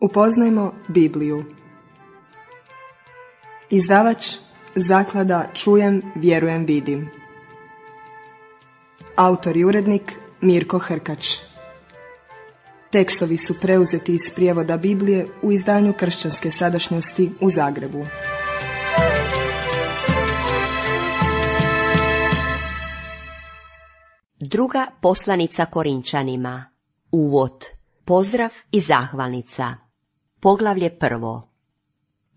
Upoznajmo Bibliju. Izdavač Zaklada Čujem, vjerujem, vidim. Autor i urednik Mirko Hrkač. Tekstovi su preuzeti iz prijevoda Biblije u izdanju Kršćanske sadašnjosti u Zagrebu. Druga poslanica Korinčanima. Uvod. Pozdrav i zahvalnica. Poglavlje 1.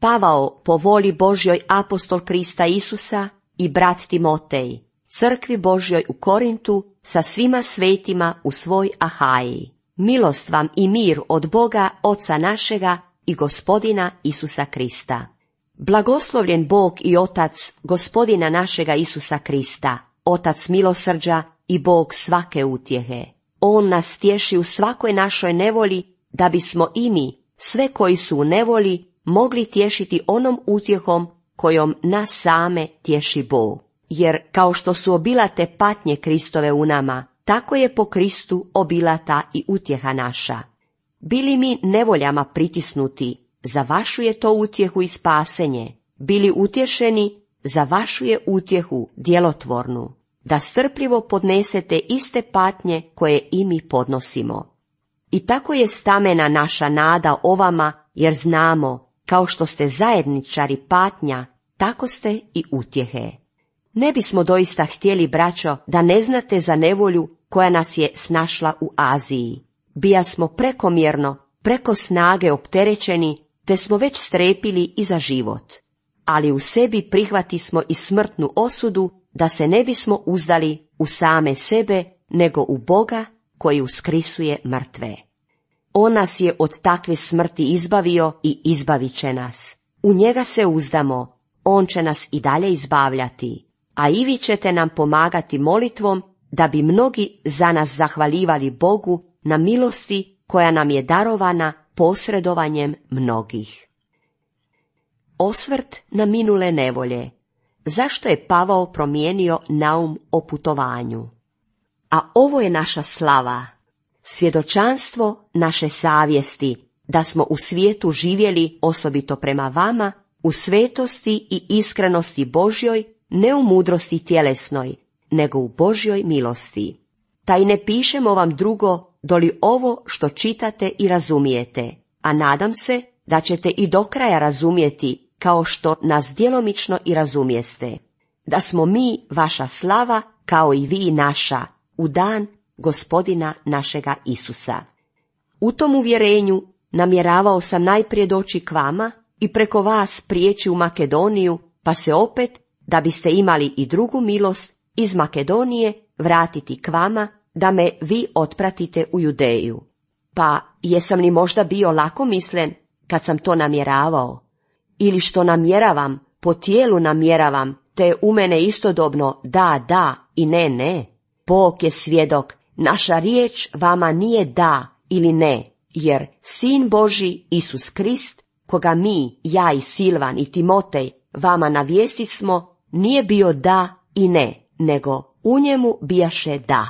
Pavao, po voli Božjoj, apostol Krista Isusa, i brat Timotej, crkvi Božjoj u Korintu, sa svima svetima u svoj Ahaji. Milost vam i mir od Boga, Oca našega i Gospodina Isusa Krista. Blagoslovljen Bog i Otac Gospodina našega Isusa Krista, Otac milosrđa i Bog svake utjehe. On nas tješi u svakoj našoj nevolji, da bismo i mi, sve koji su u nevolji, mogli tješiti onom utjehom kojom nas same tješi Bog. Jer kao što su obilate patnje Kristove u nama, tako je po Kristu obilata i utjeha naša. Bili mi nevoljama pritisnuti, za vašu je to utjehu i spasenje. Bili utješeni, za vašu je utjehu djelotvornu. Da strpljivo podnesete iste patnje koje i mi podnosimo. I tako je stamena naša nada o vama, jer znamo, kao što ste zajedničari patnja, tako ste i utjehe. Ne bismo doista htjeli, braćo, da ne znate za nevolju koja nas je snašla u Aziji. Bijasmo prekomjerno, preko snage opterećeni, te smo već strepili i za život. Ali u sebi prihvatismo i smrtnu osudu, da se ne bismo uzdali u same sebe, nego u Boga koji uskrisuje mrtve. On nas je od takve smrti izbavio i izbavit će nas. U njega se uzdamo, on će nas i dalje izbavljati, a i vi ćete nam pomagati molitvom, da bi mnogi za nas zahvaljivali Bogu na milosti koja nam je darovana posredovanjem mnogih. Osvrt na minule nevolje. Zašto je Pavao promijenio naum o putovanju? A ovo je naša slava, svjedočanstvo naše savjesti, da smo u svijetu živjeli, osobito prema vama, u svetosti i iskrenosti Božjoj, ne u mudrosti tjelesnoj, nego u Božjoj milosti. Taj ne pišemo vam drugo, doli ovo što čitate i razumijete, a nadam se da ćete i do kraja razumjeti, kao što nas djelomično i razumijeste, da smo mi vaša slava, kao i vi naša, u dan Gospodina našega Isusa. U tom uvjerenju namjeravao sam najprije doći k vama i preko vas prijeći u Makedoniju, pa se opet, da biste imali i drugu milost, iz Makedonije vratiti k vama, da me vi otpratite u Judeju. Pa jesam li možda bio lakomislen kad sam to namjeravao? Ili što namjeravam, po tijelu namjeravam, te u mene istodobno da i ne? Bog je svjedok, naša riječ vama nije da ili ne, jer Sin Božji Isus Krist, koga mi, ja i Silvan i Timotej, vama navijestismo, nije bio da i ne, nego u njemu bijaše da.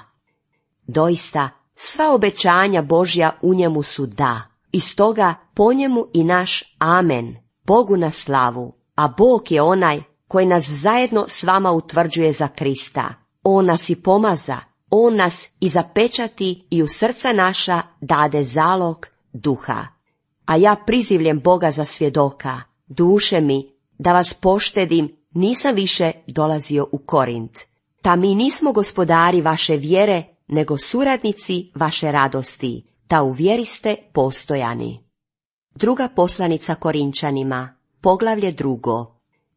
Doista, sva obećanja Božja u njemu su da, i stoga po njemu i naš amen, Bogu na slavu, a Bog je onaj koji nas zajedno s vama utvrđuje za Krista. On nas i pomaza, on nas i zapečati i u srca naša dade zalog duha. A ja prizivljem Boga za svjedoka, duše mi, da vas poštedim, nisam više dolazio u Korint. Ta mi nismo gospodari vaše vjere, nego suradnici vaše radosti, ta u vjeri ste postojani. Druga poslanica Korinčanima, poglavlje 2.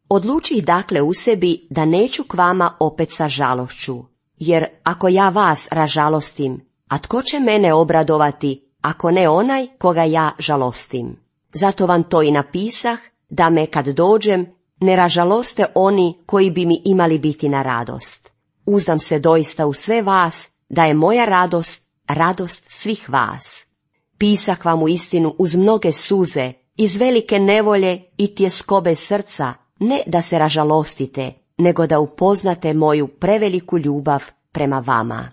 Odlučih dakle u sebi da neću k vama opet sa žalošću, jer ako ja vas ražalostim, a tko će mene obradovati, ako ne onaj koga ja žalostim? Zato vam to i napisah, da me kad dođem ne ražaloste oni koji bi mi imali biti na radost. Uzdam se doista u sve vas, da je moja radost, radost svih vas. Pisah vam u istinu uz mnoge suze, iz velike nevolje i tjeskobe srca, ne da se ražalostite, nego da upoznate moju preveliku ljubav prema vama.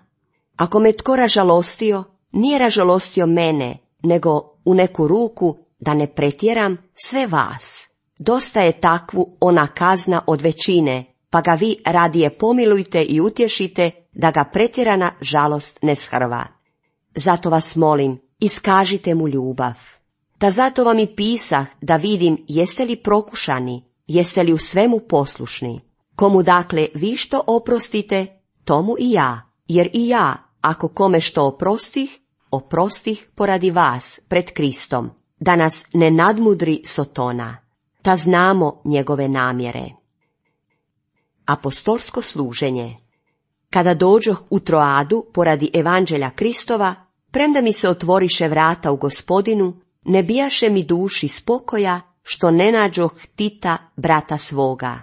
Ako me tko ražalostio, nije ražalostio mene, nego u neku ruku da ne pretjeram, sve vas. Dosta je takvu ona kazna od većine, pa ga vi radije pomilujte i utješite, da ga pretjerana žalost ne shrva. Zato vas molim, iskažite mu ljubav. Da zato vam i pisah, da vidim jeste li prokušani, jeste li u svemu poslušni. Komu dakle vi što oprostite, tomu i ja, jer i ja, ako kome što oprostih poradi vas pred Kristom, da nas ne nadmudri Sotona, da znamo njegove namjere. Apostolsko služenje. Kada dođoh u Troadu poradi evanđelja Kristova, premda mi se otvoriše vrata u Gospodinu, ne bijaše mi duši spokoja, što ne nađoh Tita, brata svoga.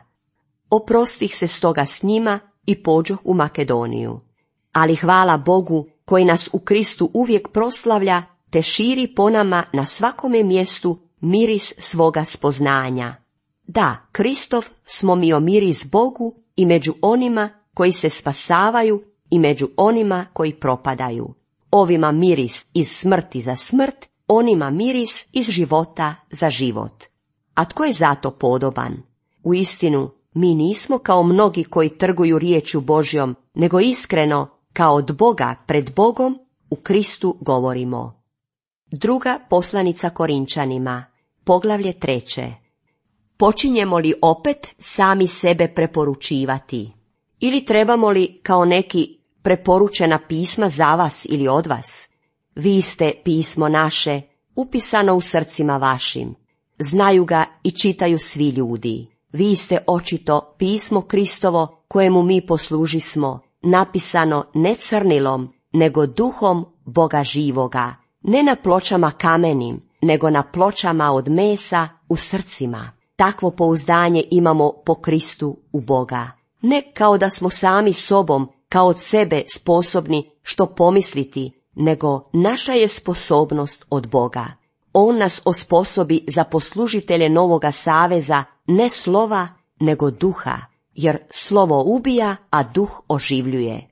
Oprostih se stoga s njima i pođoh u Makedoniju. Ali hvala Bogu, koji nas u Kristu uvijek proslavlja, te širi po nama na svakome mjestu miris svoga spoznanja. Da, Kristov smo mi o miris Bogu i među onima koji se spasavaju i među onima koji propadaju. Ovima miris iz smrti za smrt, onima miris iz života za život. A tko je zato podoban? Uistinu, mi nismo kao mnogi koji trguju riječju Božjom, nego iskreno, kao od Boga pred Bogom, u Kristu govorimo. Druga poslanica Korinčanima, poglavlje 3. Počinjemo li opet sami sebe preporučivati? Ili trebamo li kao neki preporučena pisma za vas ili od vas? Vi ste pismo naše, upisano u srcima vašim. Znaju ga i čitaju svi ljudi. Vi ste očito pismo Kristovo, kojemu mi poslužismo, napisano ne crnilom, nego duhom Boga živoga, ne na pločama kamenim, nego na pločama od mesa u srcima. Takvo pouzdanje imamo po Kristu u Boga. Ne kao da smo sami sobom, kao od sebe sposobni što pomisliti, nego naša je sposobnost od Boga. On nas osposobi za poslužitelje novoga saveza, ne slova, nego duha, jer slovo ubija, a duh oživljuje.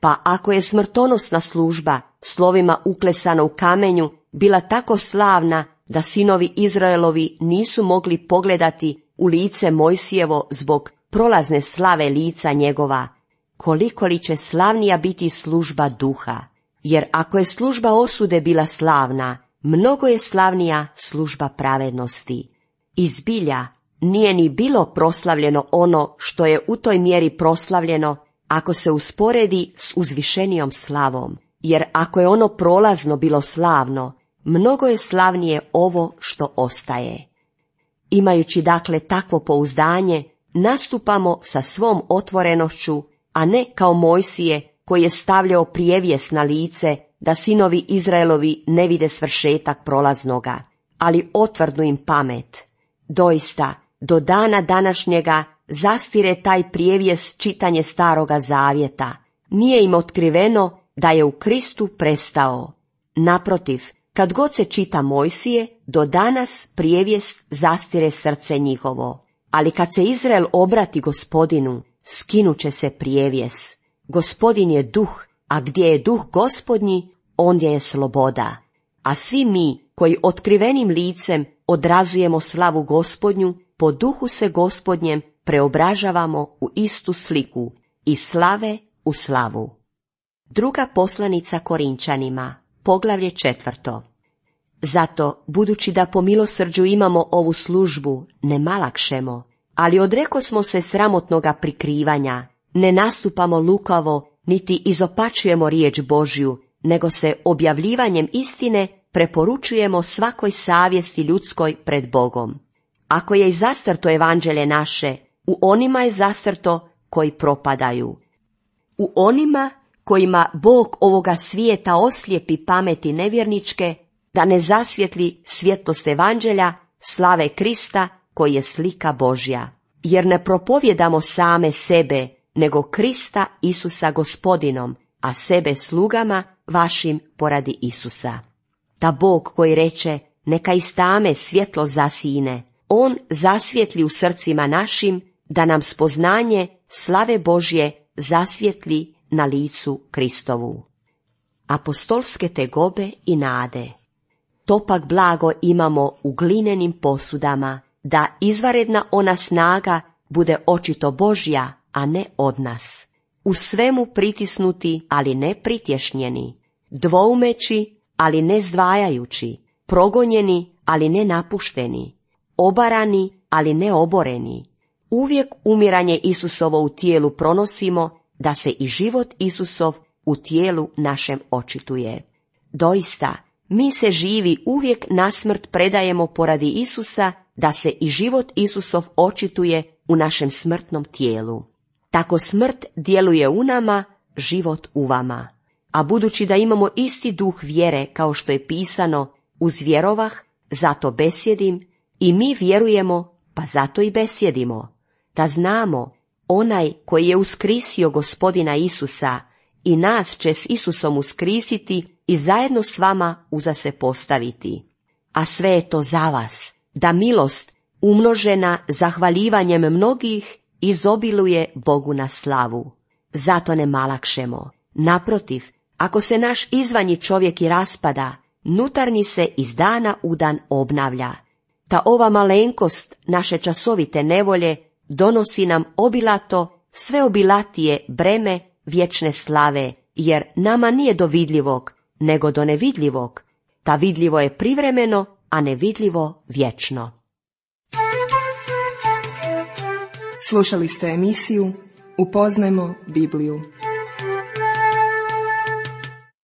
Pa ako je smrtonosna služba, slovima uklesana u kamenju, bila tako slavna da sinovi Izraelovi nisu mogli pogledati u lice Mojsijevo zbog prolazne slave lica njegova, koliko li će slavnija biti služba duha? Jer ako je služba osude bila slavna, mnogo je slavnija služba pravednosti. I zbilja, nije ni bilo proslavljeno ono što je u toj mjeri proslavljeno, ako se usporedi s uzvišenijom slavom, jer ako je ono prolazno bilo slavno, mnogo je slavnije ovo što ostaje. Imajući dakle takvo pouzdanje, nastupamo sa svom otvorenošću, a ne kao Mojsije koji je stavljao prijevijes na lice da sinovi Izraelovi ne vide svršetak prolaznoga, ali otvrdnu im pamet. Doista, do dana današnjega zastire taj prijevijes čitanje Staroga Zavjeta. Nije im otkriveno da je u Kristu prestao. Naprotiv, kad god se čita Mojsije, do danas prijevijest zastire srce njihovo. Ali kad se Izrael obrati Gospodinu, skinuće se prijevijes. Gospodin je duh, a gdje je duh Gospodnji, ondje je sloboda. A svi mi, koji otkrivenim licem odrazujemo slavu Gospodnju, po duhu se Gospodnjem preobražavamo u istu sliku, iz slave u slavu. Druga poslanica Korinčanima, poglavlje 4. Zato, budući da po milosrđu imamo ovu službu, ne malakšemo, ali odrekosmo se sramotnoga prikrivanja, ne nastupamo lukavo, niti izopačujemo riječ Božju, nego se objavljivanjem istine preporučujemo svakoj savjesti ljudskoj pred Bogom. Ako je i zastrto evanđelje naše, u onima je zastrto koji propadaju. U onima kojima Bog ovoga svijeta oslijepi pameti nevjerničke, da ne zasvjetli svjetlost evanđelja, slave Krista koji je slika Božja. Jer ne propovjedamo same sebe, nego Krista Isusa Gospodinom, a sebe slugama vašim poradi Isusa. Da Bog koji reče, neka iz tame svjetlo zasine, On zasvjetli u srcima našim, da nam spoznanje slave Božje zasvjetli na licu Kristovu. Apostolske tegobe i nade. to pak blago imamo u glinenim posudama, da izvanredna ona snaga bude očito Božja, a ne od nas. U svemu pritisnuti, ali ne pritješnjeni, dvoumeći, ali ne zdvajajući, progonjeni, ali ne napušteni, obarani, ali ne oboreni. Uvijek umiranje Isusovo u tijelu pronosimo, da se i život Isusov u tijelu našem očituje. Doista, mi se živi uvijek na smrt predajemo poradi Isusa, da se i život Isusov očituje u našem smrtnom tijelu. Tako smrt djeluje u nama, život u vama. A budući da imamo isti duh vjere, kao što je pisano, uzvjerovah, zato besjedim, i mi vjerujemo, pa zato i besjedimo. Da znamo, onaj koji je uskrisio Gospodina Isusa i nas će s Isusom uskrisiti i zajedno s vama uza se postaviti. A sve je to za vas, da milost, umnožena zahvaljivanjem mnogih, izobiluje Bogu na slavu. Zato ne malakšemo. Naprotiv, ako se naš izvanji čovjek i raspada, nutarnji se iz dana u dan obnavlja. Ta ova malenkost naše časovite nevolje donosi nam obilato, sve obilatije breme vječne slave, jer nama nije do vidljivog, nego do nevidljivog. Ta vidljivo je privremeno, a nevidljivo vječno. Slušali ste emisiju Upoznajmo Bibliju.